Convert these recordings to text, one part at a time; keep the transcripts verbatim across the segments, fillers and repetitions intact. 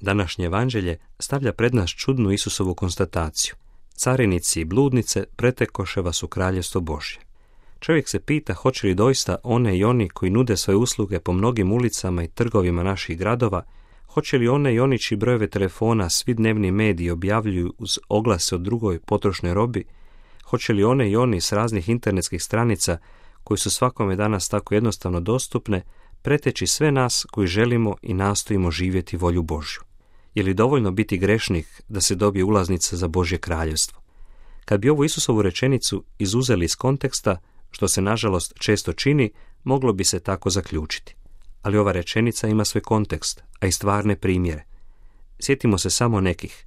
Današnje evanđelje stavlja pred nas čudnu Isusovu konstataciju. Carinici i bludnice pretekoše vas u kraljevstvo Božje. Čovjek se pita hoće li doista one i oni koji nude svoje usluge po mnogim ulicama i trgovima naših gradova, hoće li one i oni čiji brojeve telefona svi dnevni mediji objavljuju uz oglase o drugoj potrošnoj robi, hoće li one i oni s raznih internetskih stranica koji su svakome danas tako jednostavno dostupne, preteći sve nas koji želimo i nastojimo živjeti volju Božju. Je li dovoljno biti grešnik da se dobije ulaznica za Božje kraljevstvo? Kad bi ovu Isusovu rečenicu izuzeli iz konteksta, što se nažalost često čini, moglo bi se tako zaključiti. Ali ova rečenica ima svoj kontekst, a i stvarne primjere. Sjetimo se samo nekih.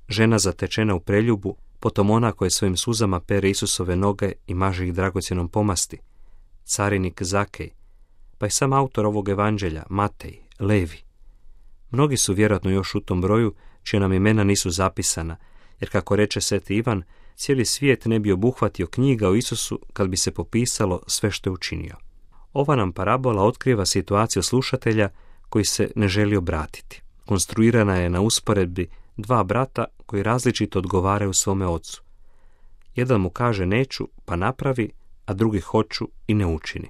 Žena zatečena u preljubu, potom ona koja svojim suzama pere Isusove noge i maže ih dragocjenom pomasti. Carinik Zakej, pa i sam autor ovog evanđelja, Matej, Levi. Mnogi su vjerojatno još u tom broju, čija nam imena nisu zapisana, jer kako reče Sveti Ivan, cijeli svijet ne bi obuhvatio knjiga o Isusu kad bi se popisalo sve što je učinio. Ova nam parabola otkriva situaciju slušatelja koji se ne želi obratiti. Konstruirana je na usporedbi dva brata koji različito odgovaraju svome ocu. Jedan mu kaže neću, pa napravi, a drugi hoću i ne učini.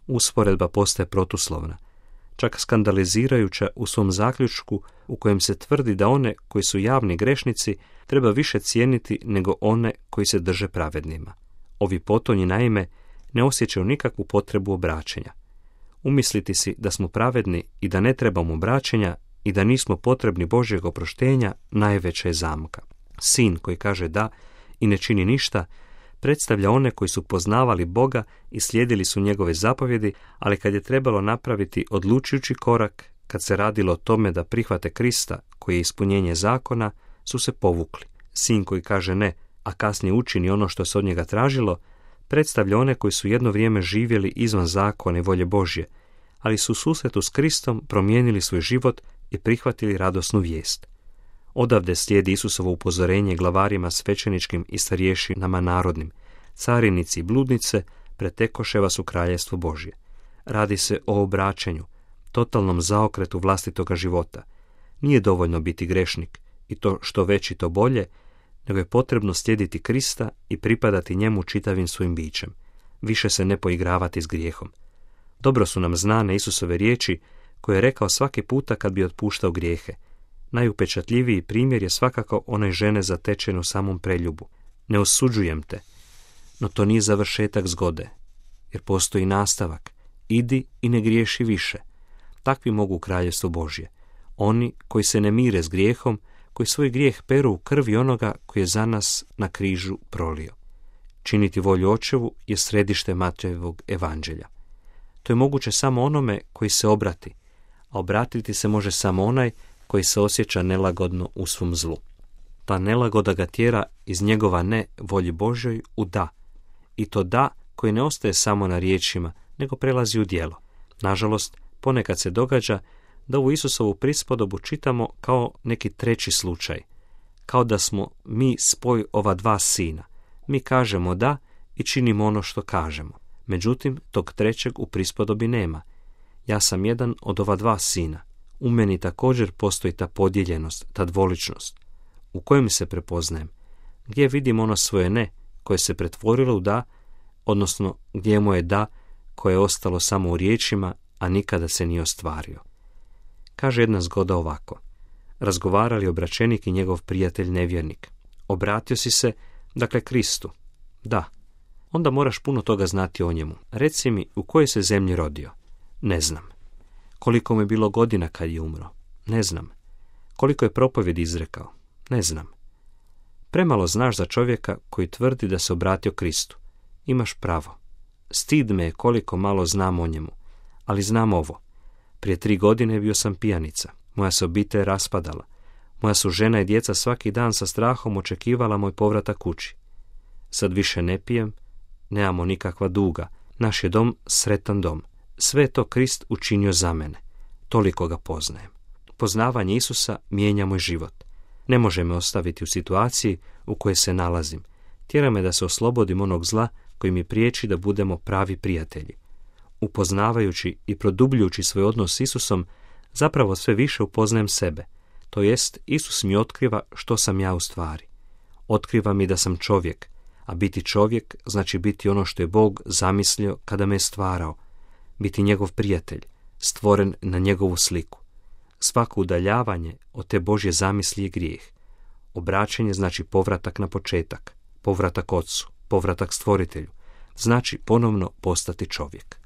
Usporedba postaje protuslovna, čak skandalizirajuća u svom zaključku u kojem se tvrdi da one koji su javni grešnici treba više cijeniti nego one koji se drže pravednima. Ovi potonji naime ne osjećaju nikakvu potrebu obraćenja. Umisliti si da smo pravedni i da ne trebamo obraćenja i da nismo potrebni Božjeg oproštenja najveća je zamka. Sin koji kaže da i ne čini ništa predstavlja one koji su poznavali Boga i slijedili su njegove zapovjedi, ali kad je trebalo napraviti odlučujući korak, kad se radilo o tome da prihvate Krista, koji je ispunjenje zakona, su se povukli. Sin koji kaže ne, a kasnije učini ono što se od njega tražilo, predstavlja one koji su jedno vrijeme živjeli izvan zakona i volje Božje, ali su u susretu s Kristom promijenili svoj život i prihvatili radosnu vijest. Odavde slijedi Isusovo upozorenje glavarima svećeničkim i starješinama narodnim. Carinici i bludnice pretekoše vas u kraljevstvo Božje. Radi se o obraćanju, totalnom zaokretu vlastitoga života. Nije dovoljno biti grešnik i to što veći to bolje, nego je potrebno slijediti Krista i pripadati njemu čitavim svojim bićem. Više se ne poigravati s grijehom. Dobro su nam znane Isusove riječi koje je rekao svaki puta kad bi otpuštao grijehe. Najupečatljiviji primjer je svakako onaj žene zatečene u samom preljubu. Ne osuđujem te, no to nije završetak zgode, jer postoji nastavak. Idi i ne griješi više. Takvi mogu u kraljevstvo Božje. Oni koji se ne mire s grijehom, koji svoj grijeh peru u krvi onoga koji je za nas na križu prolio. Činiti volju Očevu je središte Matejevog evanđelja. To je moguće samo onome koji se obrati, a obratiti se može samo onaj koji se osjeća nelagodno u svom zlu. Ta nelagoda ga tjera iz njegova ne volji Božjoj u da. I to da koji ne ostaje samo na riječima, nego prelazi u djelo. Nažalost, ponekad se događa da ovu Isusovu prispodobu čitamo kao neki treći slučaj. Kao da smo mi spoj ova dva sina. Mi kažemo da i činimo ono što kažemo. Međutim, tog trećeg u prispodobi nema. Ja sam jedan od ova dva sina. U meni također postoji ta podijeljenost, ta dvoličnost. U kojem se prepoznajem? Gdje vidim ono svoje ne, koje se pretvorilo u da, odnosno gdje je moje da, koje je ostalo samo u riječima, a nikada se nije ostvario. Kaže jedna zgoda ovako. Razgovarali obraćenik i njegov prijatelj nevjernik. Obratio si se, dakle, Kristu. Da. Onda moraš puno toga znati o njemu. Reci mi, u kojoj se zemlji rodio? Ne znam. Koliko mu je bilo godina kad je umro? Ne znam. Koliko je propovjedi izrekao? Ne znam. Premalo znaš za čovjeka koji tvrdi da se obratio Kristu. Imaš pravo. Stid me je koliko malo znam o njemu. Ali znam ovo. Prije tri godine bio sam pijanica. Moja se obitelj raspadala. Moja su žena i djeca svaki dan sa strahom očekivala moj povratak kući. Sad više ne pijem, nemamo nikakva duga. Naš je dom sretan dom. Sve je to Krist učinio za mene. Toliko ga poznajem. Poznavanje Isusa mijenja moj život. Ne može me ostaviti u situaciji u kojoj se nalazim. Tjera me da se oslobodim onog zla koji mi priječi da budemo pravi prijatelji. Upoznavajući i produbljujući svoj odnos s Isusom, zapravo sve više upoznajem sebe. To jest, Isus mi otkriva što sam ja u stvari. Otkriva mi da sam čovjek, a biti čovjek znači biti ono što je Bog zamislio kada me je stvarao, biti njegov prijatelj, stvoren na njegovu sliku. Svako udaljavanje od te Božje zamisli je grijeh. Obraćanje znači povratak na početak, povratak Ocu, povratak Stvoritelju, znači ponovno postati čovjek.